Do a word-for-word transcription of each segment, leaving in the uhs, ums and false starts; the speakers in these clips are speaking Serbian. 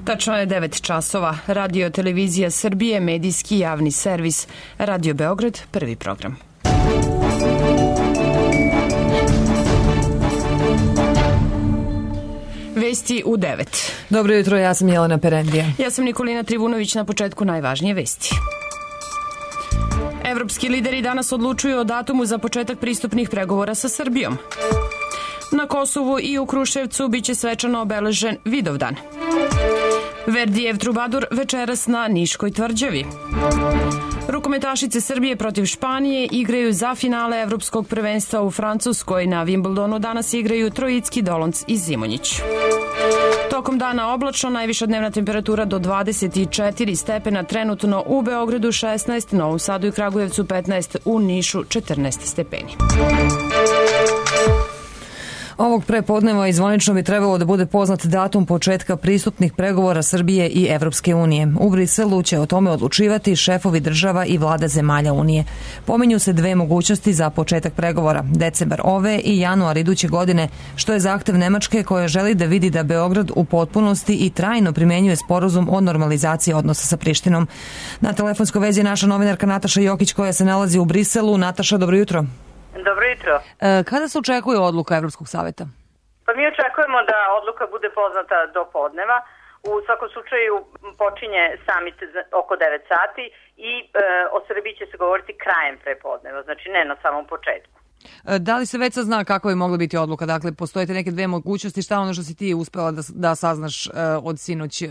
Tačno je devet časova. Radio Televizija Srbije, medijski javni servis. Radio Beograd, prvi program. Vesti u devet. Dobro jutro, ja sam Jelena Perendija. Ja sam Nikolina Trivunović, na početku najvažnije vesti. Evropski lideri danas odlučuju o datumu za početak pristupnih pregovora sa Srbijom. Na Kosovu i u Kruševcu biće svečano obeležen Vidovdan. Verdijev Trubadur večeras na Niškoj tvrđavi. Rukometašice Srbije protiv Španije igraju za finale Evropskog prvenstva u Francuskoj. Na Wimbledonu danas igraju Trojicki, Dolonc i Zimonjić. Tokom dana oblačno, najviša dnevna temperatura do dvadeset četiri stepena, trenutno u Beogradu šesnaest, Novom Sadu i Kragujevcu petnaest, u Nišu četrnaest stepeni. Ovog prepodneva i zvanično bi trebalo da bude poznat datum početka pristupnih pregovora Srbije i Evropske unije. U Briselu će o tome odlučivati šefovi država i vlada zemalja Unije. Pominju se dve mogućnosti za početak pregovora, decembar ove i januar iduće godine, što je zahtev Nemačke koja želi da vidi da Beograd u potpunosti i trajno primenjuje sporazum o normalizaciji odnosa sa Prištinom. Na telefonskoj vezi je naša novinarka Nataša Jokić koja se nalazi u Briselu. Nataša, dobro jutro. Dobro jutro. E, kada se očekuje odluka Evropskog saveta? Pa mi očekujemo da odluka bude poznata do podneva. U svakom slučaju počinje samit oko devet sati i e, o Srbiji će se govoriti krajem prepodneva, znači ne na samom početku. E, da li se već sazna kako je mogla biti odluka? Dakle, postoje neke dve mogućnosti, šta ono što si ti uspela da, da saznaš e, od sinoć, e,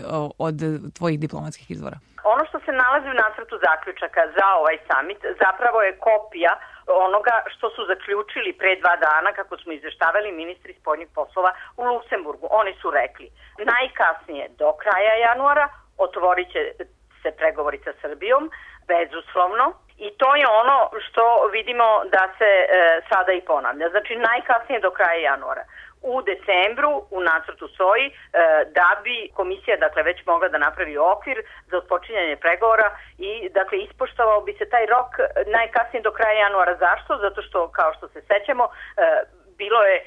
od tvojih diplomatskih izvora? Ono što se nalazi u nacrtu zaključaka za ovaj samit zapravo je kopija onoga što su zaključili pre dva dana, kako smo izveštavali ministri spoljnih poslova u Luksemburgu. Oni su rekli, najkasnije do kraja januara otvorit će se pregovori sa Srbijom, bezuslovno, i to je ono što vidimo da se e, sada i ponavlja. Znači, najkasnije do kraja januara. U decembru u nacrtu stoji e, da bi komisija dakle već mogla da napravi okvir za otpočinjanje pregovora i dakle ispoštovao bi se taj rok najkasnije do kraja januara. Zašto? Zato što, kao što se sećamo, e, bilo je e,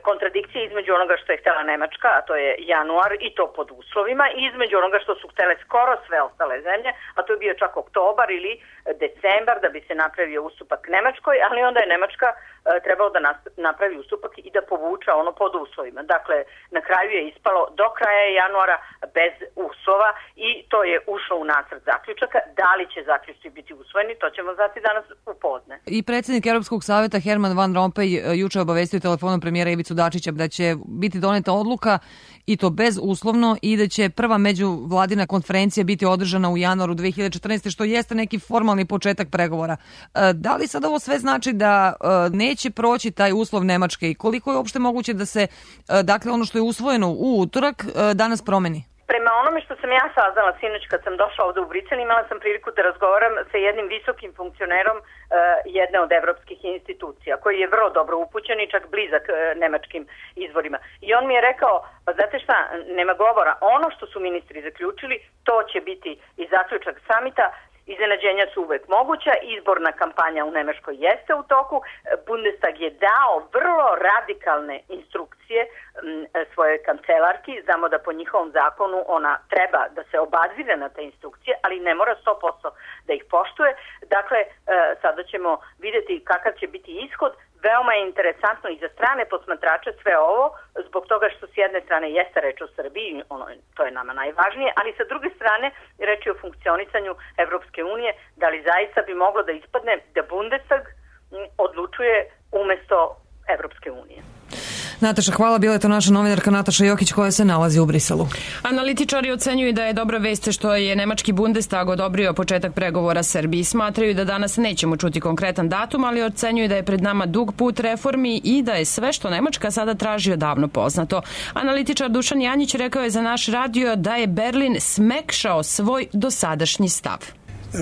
kontradikcije između onoga što je htela Nemačka, a to je januar i to pod uslovima, i između onoga što su htele skoro sve ostale zemlje, a to je bio čak oktobar ili decembar da bi se napravio ustupak Nemačkoj, ali onda je Nemačka e, trebao da napravi ustupak i da povuča ono pod uslovima. Dakle, na kraju je ispalo do kraja januara bez uslova i to je ušlo u nacrt zaključaka. Da li će zaključci biti usvojeni, to ćemo znati danas u podne. I predsjednik Europskog saveta Herman Van Rompuy juče obavestio telefonom premijera Ivicu Dačića da će biti doneta odluka i to bezuslovno i da će prva međuvladina konferencija biti održana u januaru dve hiljade četrnaeste. što jeste neki formalni početak pregovora. Da li sad ovo sve znači da neće proći taj uslov Nemačke i koliko je uopšte moguće da se, dakle, ono što je usvojeno u utorak danas promeni? Prema onome što sam ja saznala sinoć kad sam došla ovde u Brisel, imala sam priliku da razgovaram sa jednim visokim funkcionerom uh, jedne od evropskih institucija, koji je vrlo dobro upućen i čak blizak uh, nemačkim izvorima. I on mi je rekao, pa znate šta, nema govora, ono što su ministri zaključili, to će biti i zaključak samita. Iznenađenja su uvek moguća, izborna kampanja u Nemačkoj jeste u toku, Bundestag je dao vrlo radikalne instrukcije m, svojoj kancelarki, znamo da po njihovom zakonu ona treba da se obazire na te instrukcije, ali ne mora sto posto da ih poštuje. Dakle, e, sada ćemo vidjeti kakav će biti ishod. Veoma je interesantno i za strane posmatrače sve ovo, zbog toga što s jedne strane jeste reč o Srbiji, ono, to je nama najvažnije, ali sa druge strane reč je o funkcionisanju Evropske unije, da li zaista bi moglo da ispadne da Bundestag odlučuje umesto Evropske unije. Nataša, hvala. Bila je to naša novinarka Nataša Jokić koja se nalazi u Briselu. Analitičari ocenjuju da je dobra vest što je nemački Bundestag odobrio početak pregovora Srbiji. Smatraju da danas nećemo čuti konkretan datum, ali ocenjuju da je pred nama dug put reformi i da je sve što Nemačka sada traži odavno poznato. Analitičar Dušan Janjić rekao je za naš radio da je Berlin smekšao svoj dosadašnji stav.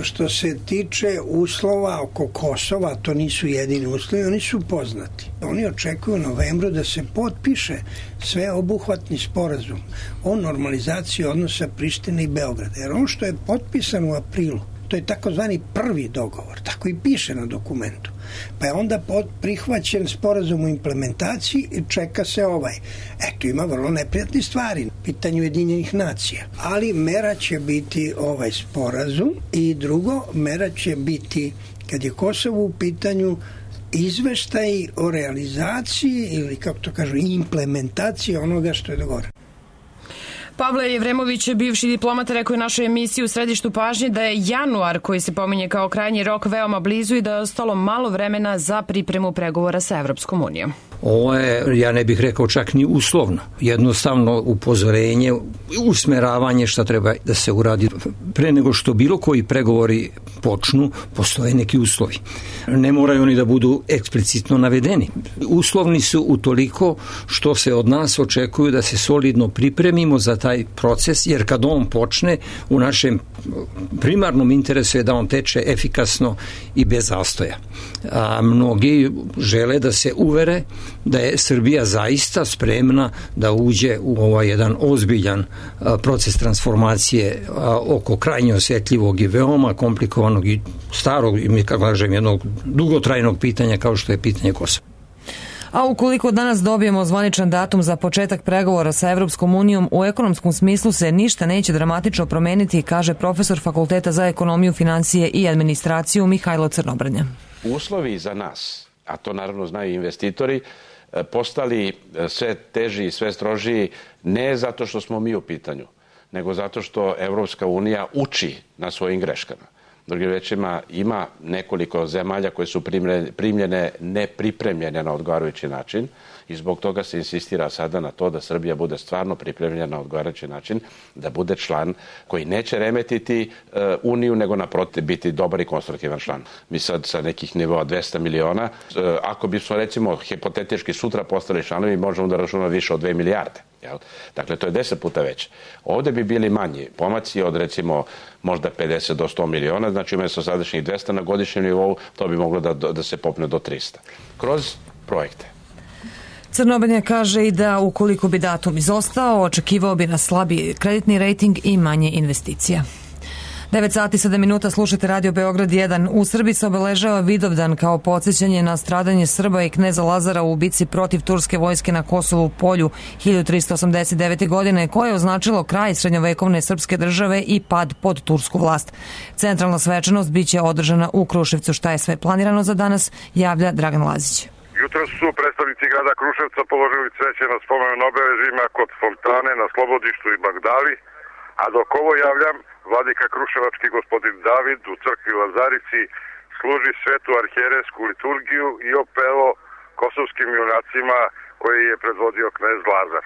Što se tiče uslova oko Kosova, to nisu jedini uslovi, oni su poznati. Oni očekuju u novembru da se potpiše sveobuhvatni sporazum o normalizaciji odnosa Prištine i Beograda. Jer ono što je potpisano u aprilu, to je takozvani prvi dogovor, tako i piše na dokumentu. Pa je onda prihvaćen sporazum o implementaciji i čeka se ovaj. Eto, ima vrlo neprijatne stvari, pitanje Ujedinjenih nacija. Ali mera će biti ovaj sporazum i drugo, mera će biti, kad je Kosovo u pitanju, izveštaj o realizaciji ili, kako to kažu, implementaciji onoga što je dogovoreno. Pavle Jevremović, bivši diplomata, rekao je našoj emisiji u središtu pažnje da je januar, koji se pominje kao krajnji rok, veoma blizu i da je ostalo malo vremena za pripremu pregovora sa Evropskom unijom. Ovo je, ja ne bih rekao čak ni uslovno, jednostavno upozorenje, usmeravanje šta treba da se uradi. Pre nego što bilo koji pregovori počnu, postoje neki uslovi. Ne moraju oni da budu eksplicitno navedeni. Uslovni su utoliko što se od nas očekuju da se solidno pripremimo za taj proces, jer kad on počne, u našem primarnom interesu je da on teče efikasno i bez zastoja. A mnogi žele da se uvere da je Srbija zaista spremna da uđe u ovaj jedan ozbiljan proces transformacije oko krajnje osjetljivog i veoma komplikovanog i starog, i kako kažem, jednog dugotrajnog pitanja kao što je pitanje Kosova. A ukoliko danas dobijemo zvaničan datum za početak pregovora sa Evropskom unijom, u ekonomskom smislu se ništa neće dramatično promeniti, kaže profesor Fakulteta za ekonomiju, financije i administraciju Mihajlo Crnobrnja. Uslovi za nas, a to naravno znaju investitori, postali sve teži i sve strožiji ne zato što smo mi u pitanju, nego zato što Evropska unija uči na svojim greškama. Drugim rečima, ima nekoliko zemalja koje su primljene nepripremljene na odgovarajući način i zbog toga se insistira sada na to da Srbija bude stvarno pripremljena na odgovarajući način, da bude član koji neće remetiti uh, Uniju, nego naprotiv biti dobar i konstruktivan član. Mi sad sa nekih nivoa dvesta miliona, uh, ako bismo recimo hipotetički sutra postali članovi, možemo da računamo više od dve milijarde. Jel? Dakle, to je deset puta veće. Ovde bi bili manji pomaci od recimo možda pedeset do sto miliona, znači umjesto sadašnjih dvesta na godišnjem nivou, to bi moglo da, da se popne do trista. Kroz projekte. Crnobrnja kaže i da ukoliko bi datum izostao, očekivao bi na slabiji kreditni rejting i manje investicija. devet sati sedam minuta, slušate Radio Beograd jedan. U Srbiji se obeležava Vidovdan kao podsjećanje na stradanje Srba i kneza Lazara u bici protiv turske vojske na Kosovu polju hiljadu tristo osamdeset devete. godine, koje je označilo kraj srednjovekovne srpske države i pad pod tursku vlast. Centralna svečanost biće održana u Kruševcu. Šta je sve planirano za danas, javlja Dragan Lazić. Jutro su predstavnici grada Kruševca položili cveće na spomen obeležjima kod fontane na Slobodištu i Bagdali, a dok ovo javljam, vladika Kruševački gospodin David u crkvi Lazarici služi svetu arhijerejsku liturgiju i opelo kosovskim junacima koji je predvodio knez Lazar.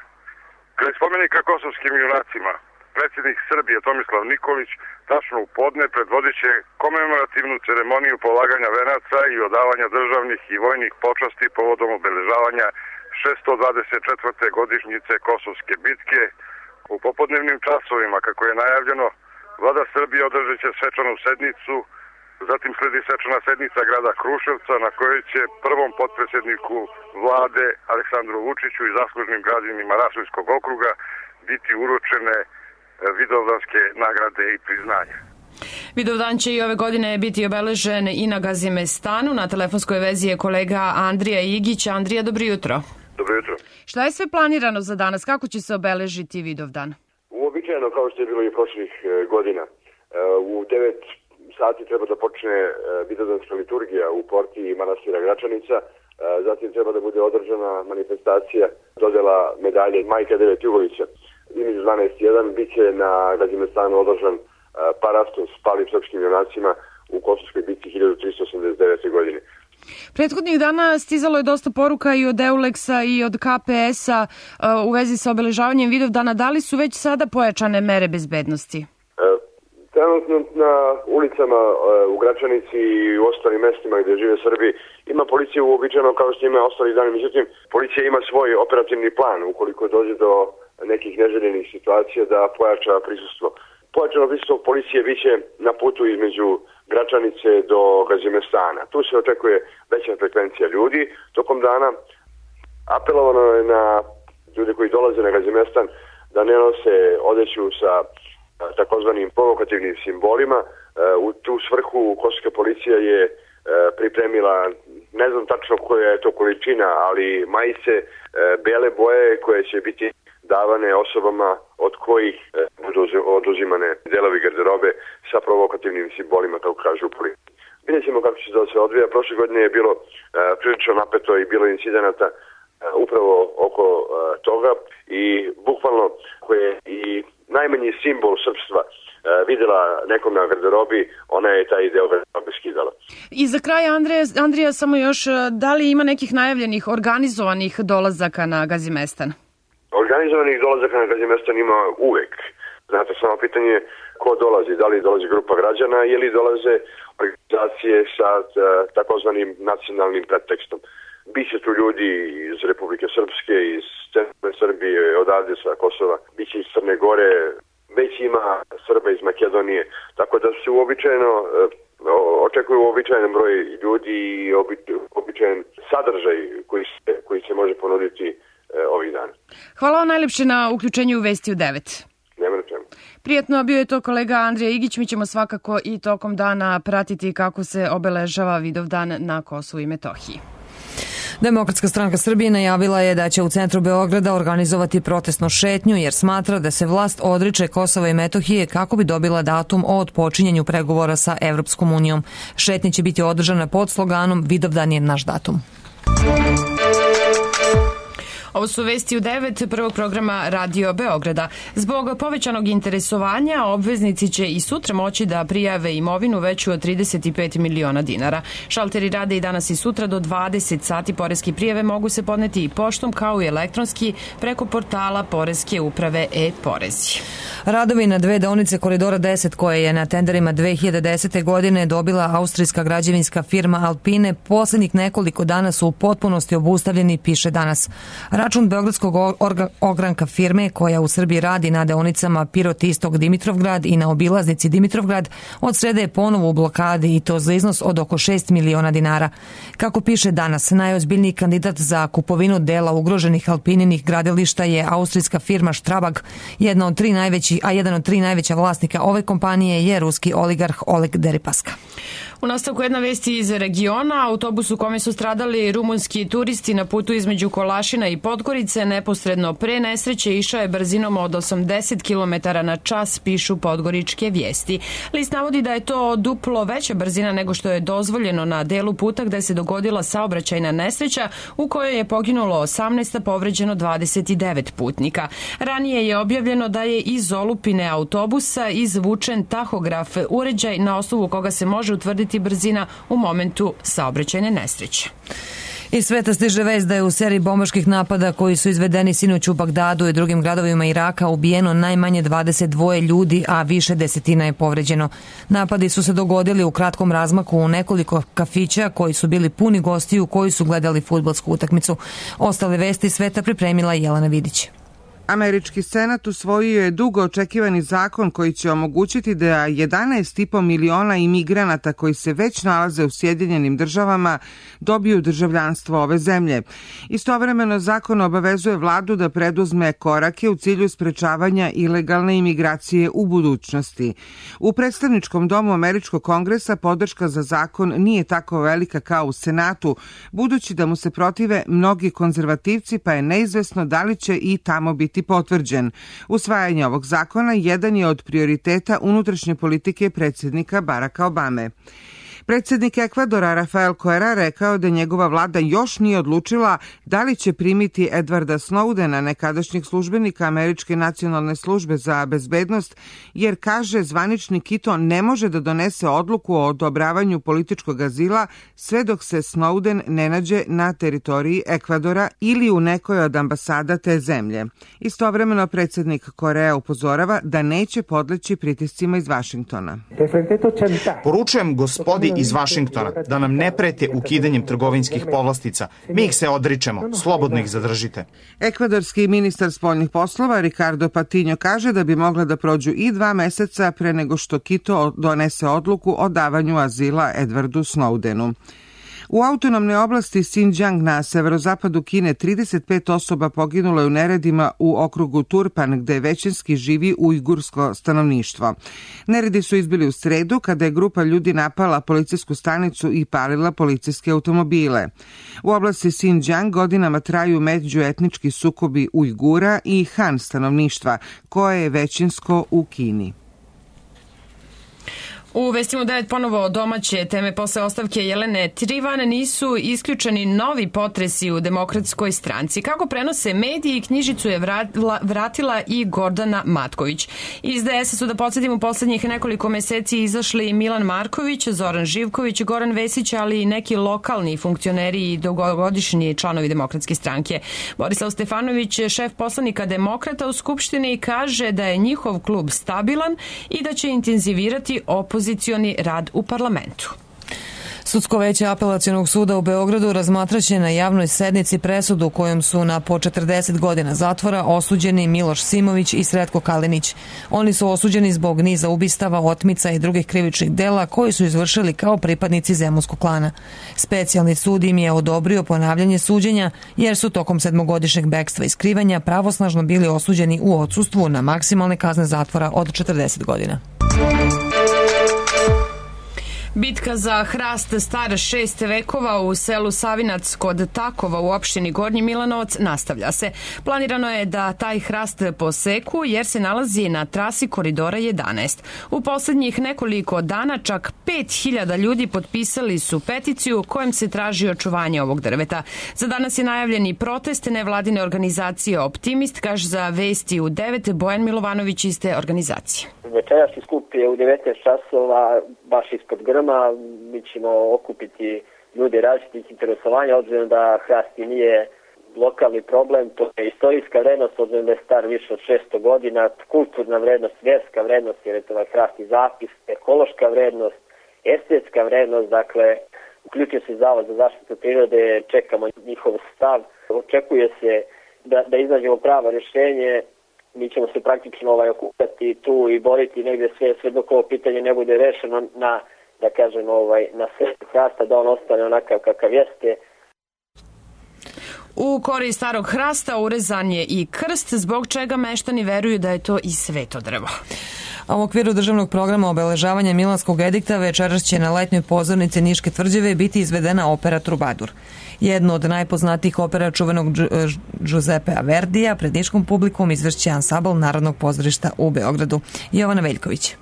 Kraj spomenika kosovskim junacima, predsjednik Srbije Tomislav Nikolić tačno u podne predvodit će komemorativnu ceremoniju polaganja venaca i odavanja državnih i vojnih počasti povodom obeležavanja šesto dvadeset četvrte godišnjice Kosovske bitke. U popodnevnim časovima, kako je najavljeno, Vlada Srbije održat će svečanu sednicu, zatim sledi svečana sednica grada Kruševca na kojoj će prvom potpredsjedniku vlade Aleksandru Vučiću i zaslužnim građanima Raškog okruga biti uručene vidovdanske nagrade i priznanja. Vidovdan će i ove godine biti obeležen i na Gazimestanu. Na telefonskoj vezi je kolega Andrija Igić. Andrija, dobro jutro. Dobro jutro. Šta je sve planirano za danas? Kako će se obeležiti Vidovdan? Uobičajeno, kao što je bilo i prošlih godina. U devet sati treba da počne vidovdanska liturgija u porti manastira Gračanica. Zatim treba da bude održana manifestacija dodela medalje Majka devet Jugovića. Između dvanaest i jedan bit će na Gazimestanu održan parastos palim srpskim junacima u Kosovskoj bici hiljadu tristo osamdeset devete. godine. Prethodnih dana stizalo je dosta poruka i od Euleksa i od K P S-a u vezi sa obeležavanjem Vidovdana. Da li su već sada pojačane mere bezbednosti? Trenutno na ulicama u Gračanici i u ostalim mestima gde žive Srbi ima policija uobičajeno kao što ima ostali dani. Međutim, policija ima svoj operativni plan ukoliko dođe do nekih neželjenih situacija da pojača prisustvo. Pojačano prisustvo policije biće na putu između Gračanice do Gazimestana. Tu se očekuje veća frekvencija ljudi tokom dana. Apelovano je na ljude koji dolaze na Gazimestan da ne nose odeću sa takozvanim provokativnim simbolima. U tu svrhu kosovska policija je pripremila, ne znam tačno koja je to količina, ali majice bele boje koje će biti davane osobama od kojih budu oduzimane delovi garderobe sa provokativnim simbolima, kako kažu u policiji. Vidjet ćemo kako će to se odvija. Prošle godine je bilo prilično napeto i bilo incidenata upravo oko toga i bukvalno koje je i najmanji simbol srpstva videla nekom na garderobi, ona je taj deo garderobe skidala. I za kraj, Andrija, Andrija, samo još, da li ima nekih najavljenih organizovanih dolazaka na Gazimestan? Organizovanih dolazaka na Gazimestan ima uvek. Znate, samo pitanje je ko dolazi, da li dolazi grupa građana ili dolaze organizacije sa takozvanim nacionalnim pretekstom. Biće tu ljudi iz Republike Srpske, iz centralne Srbije, odavde sa Kosova, biće iz Crne Gore, već ima Srba iz Makedonije, tako da se uobičajeno očekuju uobičajen broj ljudi i običajen sadržaj koji se, koji se može ponuditi ovih dana. Hvala vam najlepše na uključenju u Vesti u devet. Nema na čemu. Prijetno, bio je to kolega Andrija Igić. Mi ćemo svakako i tokom dana pratiti kako se obeležava Vidovdan na Kosovu i Metohiji. Demokratska stranka Srbije najavila je da će u centru Beograda organizovati protestnu šetnju jer smatra da se vlast odriče Kosova i Metohije kako bi dobila datum o otpočinjanju pregovora sa Evropskom unijom. Šetnja će biti održana pod sloganom Vidovdan je naš datum. Ovo su Vesti u devet prvog programa Radio Beograda. Zbog povećanog interesovanja obveznici će i sutra moći da prijave imovinu veću od trideset pet miliona dinara. Šalteri rade i danas i sutra do dvadeset sati. Poreske prijave mogu se podneti i poštom kao i elektronski preko portala Poreske uprave e-porezi. Radovi na dve deonice Koridora deset koje je na tenderima dve hiljade desete. godine dobila austrijska građevinska firma Alpine poslednjih nekoliko dana su u potpunosti obustavljeni, piše danas. Račun beogradskog ogranka firme koja u Srbiji radi na deonicama Pirot Istok Dimitrovgrad i na obilaznici Dimitrovgrad od srede je ponovo u blokadi i to za iznos od oko šest miliona dinara. Kako piše danas, najozbiljniji kandidat za kupovinu dela ugroženih Alpininih gradilišta je austrijska firma Strabag, jedna od tri najveći, a jedan od tri najveća vlasnika ove kompanije je ruski oligarh Oleg Deripaska. U nastavku jedna vesti iz regiona. Autobus u kome su stradali rumunski turisti na putu između Kolašina i Podgorice neposredno pre nesreće išao je brzinom od osamdeset kilometara na čas, pišu podgoričke vijesti. List navodi da je to duplo veća brzina nego što je dozvoljeno na delu puta gde se dogodila saobraćajna nesreća u kojoj je poginulo osamnaest, a povređeno dvadeset devet putnika. Ranije je objavljeno da je iz olupine autobusa izvučen tahograf, uređaj na osnovu koga se može utvrditi brzina u momentu saobraćajne nesreće. Iz sveta stiže vest da je u seriji bombaških napada koji su izvedeni sinoć u Bagdadu i drugim gradovima Iraka ubijeno najmanje dvadeset dva ljudi, a više desetina je povređeno. Napadi su se dogodili u kratkom razmaku u nekoliko kafića koji su bili puni gostiju koji su gledali fudbalsku utakmicu. Ostale vesti sveta pripremila Jelena Vidić. Američki senat usvojio je dugo očekivani zakon koji će omogućiti da jedanaest i po miliona imigranata koji se već nalaze u Sjedinjenim državama dobiju državljanstvo ove zemlje. Istovremeno zakon obavezuje vladu da preduzme korake u cilju sprečavanja ilegalne imigracije u budućnosti. U predstavničkom domu Američkog kongresa podrška za zakon nije tako velika kao u Senatu, budući da mu se protive mnogi konzervativci, pa je neizvesno da li će i tamo biti potvrđen. Usvajanje ovog zakona jedan je od prioriteta unutrašnje politike predsjednika Baracka Obame. Predsjednik Ekvadora Rafael Correa rekao da njegova vlada još nije odlučila da li će primiti Edwarda Snowdena, nekadašnjeg službenika Američke nacionalne službe za bezbednost, jer kaže zvaničnik i to ne može da donese odluku o odobravanju političkog azila sve dok se Snowden ne nađe na teritoriji Ekvadora ili u nekoj od ambasada te zemlje. Istovremeno predsjednik Correa upozorava da neće podleći pritiscima iz Vašingtona. Poručujem gospodi iz Vašingtona da nam ne prete ukidanjem trgovinskih povlastica. Mi ih se odričemo, slobodno ih zadržite. Ekvadorski ministar spoljnih poslova Ricardo Patiño kaže da bi mogla da prođu i dva meseca pre nego što Quito donese odluku o davanju azila Edwardu Snowdenu. U autonomnoj oblasti Xinjiang na severozapadu Kine trideset pet osoba poginulo je u neredima u okrugu Turpan, gde većinski živi ujgursko stanovništvo. Neredi su izbili u sredu kada je grupa ljudi napala policijsku stanicu i palila policijske automobile. U oblasti Xinjiang godinama traju međuetnički sukobi Ujgura i Han stanovništva, koje je većinsko u Kini. U Vestima devet ponovo domaće teme posle ostavke Jelene Trivan nisu isključeni novi potresi u Demokratskoj stranci. Kako prenose mediji, knjižicu je vratila, vratila i Gordana Matković. Iz D S-a su, da podsjetim, u poslednjih nekoliko meseci izašli Milan Marković, Zoran Živković, Goran Vesić, ali i neki lokalni funkcioneri i dugogodišnji članovi Demokratske stranke. Borislav Stefanović, šef poslanika Demokrata u Skupštini, kaže da je njihov klub stabilan i da će intenzivirati opoziciju rad u parlamentu. Sudsko veće Apelacionog suda u Beogradu razmatraće na javnoj sednici presudu kojom su na po četrdeset godina zatvora osuđeni Miloš Simović i Sretko Kalinić. Oni su osuđeni zbog niza ubistava, otmica i drugih krivičnih dela koji su izvršili kao pripadnici Zemunskog klana. Specijalni sud im je odobrio ponavljanje suđenja jer su tokom sedmogodišnjeg bekstva i skrivanja pravosnažno bili osuđeni u odsustvu na maksimalne kazne zatvora od četrdeset godina. Bitka za hrast star šest vekova u selu Savinac kod Takova u opštini Gornji Milanovac nastavlja se. Planirano je da taj hrast poseku jer se nalazi na trasi koridora jedanaest. U poslednjih nekoliko dana čak pet hiljada ljudi potpisali su peticiju kojom se traži očuvanje ovog drveta. Za danas je najavljen i protest nevladine organizacije Optimist, kaže za Vesti u devet Bojan Milovanović iz te organizacije. Večerašnji skup je u devetnaest časova baš ispod grma. Mi ćemo okupiti ljude različitih interesovanja, obzirom da hrast nije lokalni problem. To je istorijska vrednost, obzirom da je star više od šesto godina, kulturna vrednost, vjerska vrednost, jer je to ovaj hrast i zapis, ekološka vrednost, estetska vrednost. Dakle, uključuje se Zavod za zaštitu prirode, čekamo njihov stav. Očekuje se da, da iznađemo pravo rješenje. Mi ćemo se praktično ovaj, okupati tu i boriti negde sve, sve dok ovo pitanje ne bude rešeno na, da kažem, ovaj, na sreću hrasta, da on ostane onakav kakav jeste. U kori starog hrasta urezan je i krst, zbog čega meštani veruju da je to i sveto drvo. A u okviru državnog programa obeležavanja Milanskog edikta večeras će na letnjoj pozornici Niške tvrđave biti izvedena opera Trubadur. Jedno od najpoznatijih opera čuvenog Giuseppea Verdija pred niškom publikom izvršće ansambl Narodnog pozorišta u Beogradu. Jovana Veljković.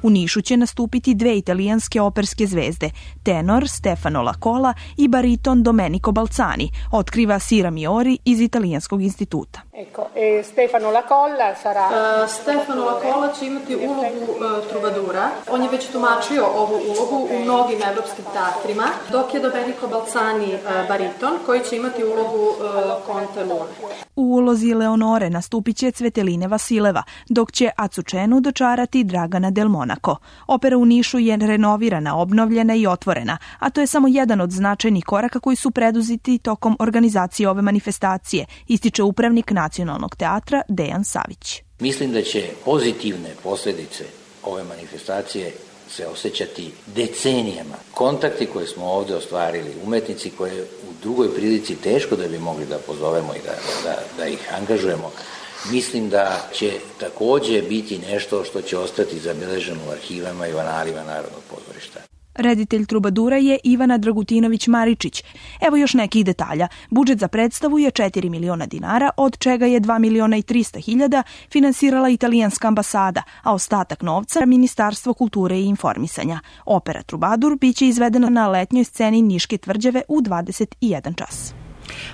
U Nišu će nastupiti dve italijanske operske zvezde, tenor Stefano Lacola i bariton Domenico Balzani, otkriva Sira Miori iz Italijanskog instituta. Ecco, e Stefano Lacola sarà... Uh, Stefano Lacola će imati ulogu uh, trubadura. On je već tumačio ovu ulogu u mnogim evropskim teatrima, dok je Domenico Balzani uh, bariton koji će imati ulogu uh, Conte Lune. U ulozi Leonore nastupit će Cveteline Vasileva, dok će Azucenu dočarati Dragana Del Monaco. Opera u Nišu je renovirana, obnovljena i otvorena, a to je samo jedan od značajnih koraka koji su preduzeti tokom organizacije ove manifestacije, ističe upravnik Nacionalnog teatra Dejan Savić. Mislim da će pozitivne posljedice ove manifestacije se osjećati decenijama. Kontakti koje smo ovde ostvarili, umetnici koje u drugoj prilici teško da bi mogli da pozovemo i da, da, da ih angažujemo, mislim da će takođe biti nešto što će ostati zabeleženo u arhivama i u analima Narodnog pozorišta. Reditelj Trubadura je Ivana Dragutinović-Maričić. Evo još nekih detalja. Budžet za predstavu je četiri miliona dinara, od čega je dva miliona i trista hiljada finansirala italijanska ambasada, a ostatak novca Ministarstvo kulture i informisanja. Opera Trubadur biće izvedena na letnjoj sceni Niške tvrđave u dvadeset jedan čas.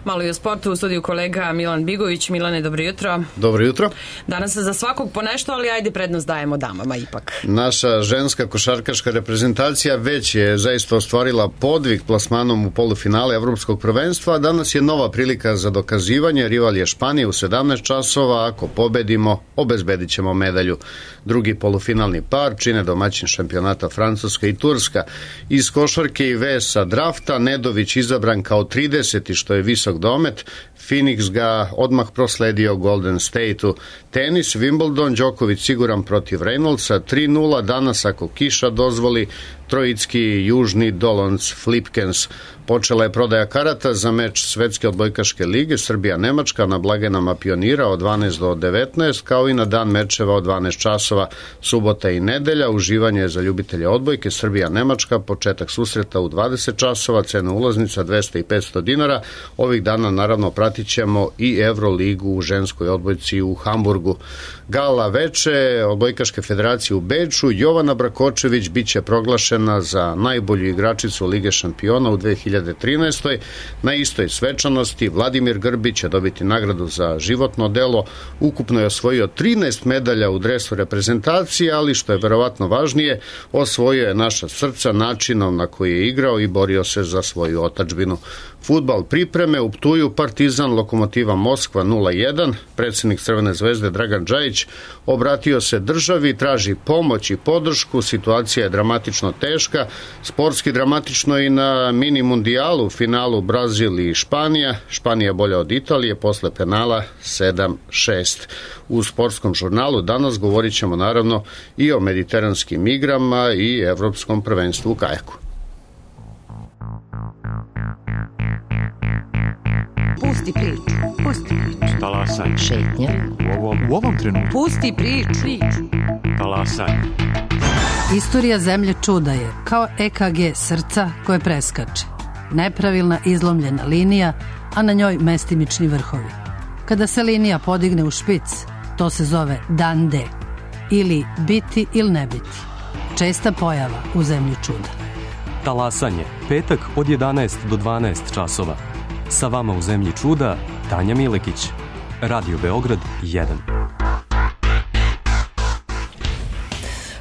Malo i o sportu, u studiju kolega Milan Bigović. Milane, dobro jutro. Dobro jutro. Danas za svakog po nešto, ali ajde prednost dajemo damama ipak. Naša ženska košarkaška reprezentacija već je zaista ostvarila podvig plasmanom u polufinale Evropskog prvenstva, a danas je nova prilika za dokazivanje. Rival je Španija u sedamnaest časova, ako pobedimo, obezbedit ćemo medalju. Drugi polufinalni par čine domaćin šampionata Francuska i Turska. Iz košarke i vesa drafta Nedović izabran kao trideseti, što je visok domet. Phoenix ga odmah prosledio Golden State-u. Tenis, Wimbledon, Đoković siguran protiv Reynoldsa, tri nula danas ako kiša dozvoli. Trojicki Južni Dolonc Flipkens. Počela je prodaja karata za meč Svetske odbojkaške lige Srbija-Nemačka na blagajnama Pionira od dvanaest do devetnaest, kao i na dan mečeva od dvanaest časova, subota i nedelja. Uživanje je za ljubitelje odbojke Srbija-Nemačka, početak susreta u dvadeset časova, cena ulaznica dvesta i petsto dinara. Ovih dana naravno pratit ćemo i Euroligu u ženskoj odbojci u Hamburgu. Gala veče Odbojkaške federacije u Beču, Jovana Brakočević biće proglašena za najbolju igračicu Lige šampiona u dve hiljade trinaestoj. Na istoj svečanosti Vladimir Grbić će dobiti nagradu za životno delo. Ukupno je osvojio trinaest medalja u dresu reprezentacije, ali što je verovatno važnije, osvojio je naša srca načinom na koji je igrao i borio se za svoju otadžbinu. Fudbal pripreme u Ptuju, Partizan Lokomotiva Moskva nula jedan. Predsednik Crvene zvezde Dragan Džajić obratio se državi, traži pomoć i podršku. Situacija je dramatično teška, sportski dramatično i na mini mundijalu, u finalu Brazil i Španija. Španija bolja od Italije posle penala sedam šest. U sportskom žurnalu danas govorit ćemo naravno i o mediteranskim igrama i evropskom prvenstvu u kajaku. Pusti priču, pusti priču. Talasaj. Šetnja. U ovom, u ovom trenutku. Pusti priču. priču. Talasaj. Istorija zemlje čuda je kao E K G srca koje preskače. Nepravilna izlomljena linija, a na njoj mestimični vrhovi. Kada se linija podigne u špic, to se zove dan D. Ili biti ili ne biti. Česta pojava u zemlji čuda. Talasanje. Petak od jedanaest do dvanaest časova. Sa vama u zemlji čuda, Tanja Milekić. Radio Beograd jedan.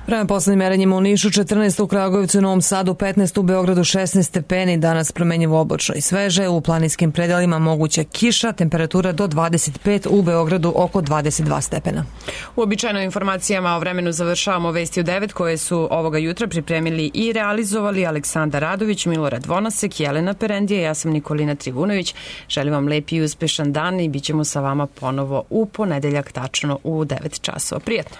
Prema poslednjim merenjima u Nišu četrnaest, u Kragujevcu i Novom Sadu petnaest, u Beogradu šesnaest stepeni, danas promenjivo oblačno i sveže, u planinskim predelima moguća kiša, temperatura do dvadeset pet, u Beogradu oko dvadeset dva stepena. Uobičajeno informacijama o vremenu završavamo vesti u devet koje su ovoga jutra pripremili i realizovali Aleksandar Radović, Milorad Vonasek, Jelena Perendija, ja sam Nikolina Trivunović. Želim vam lep i uspešan dan i bit ćemo sa vama ponovo u ponedeljak tačno u devet časova. Prijetno!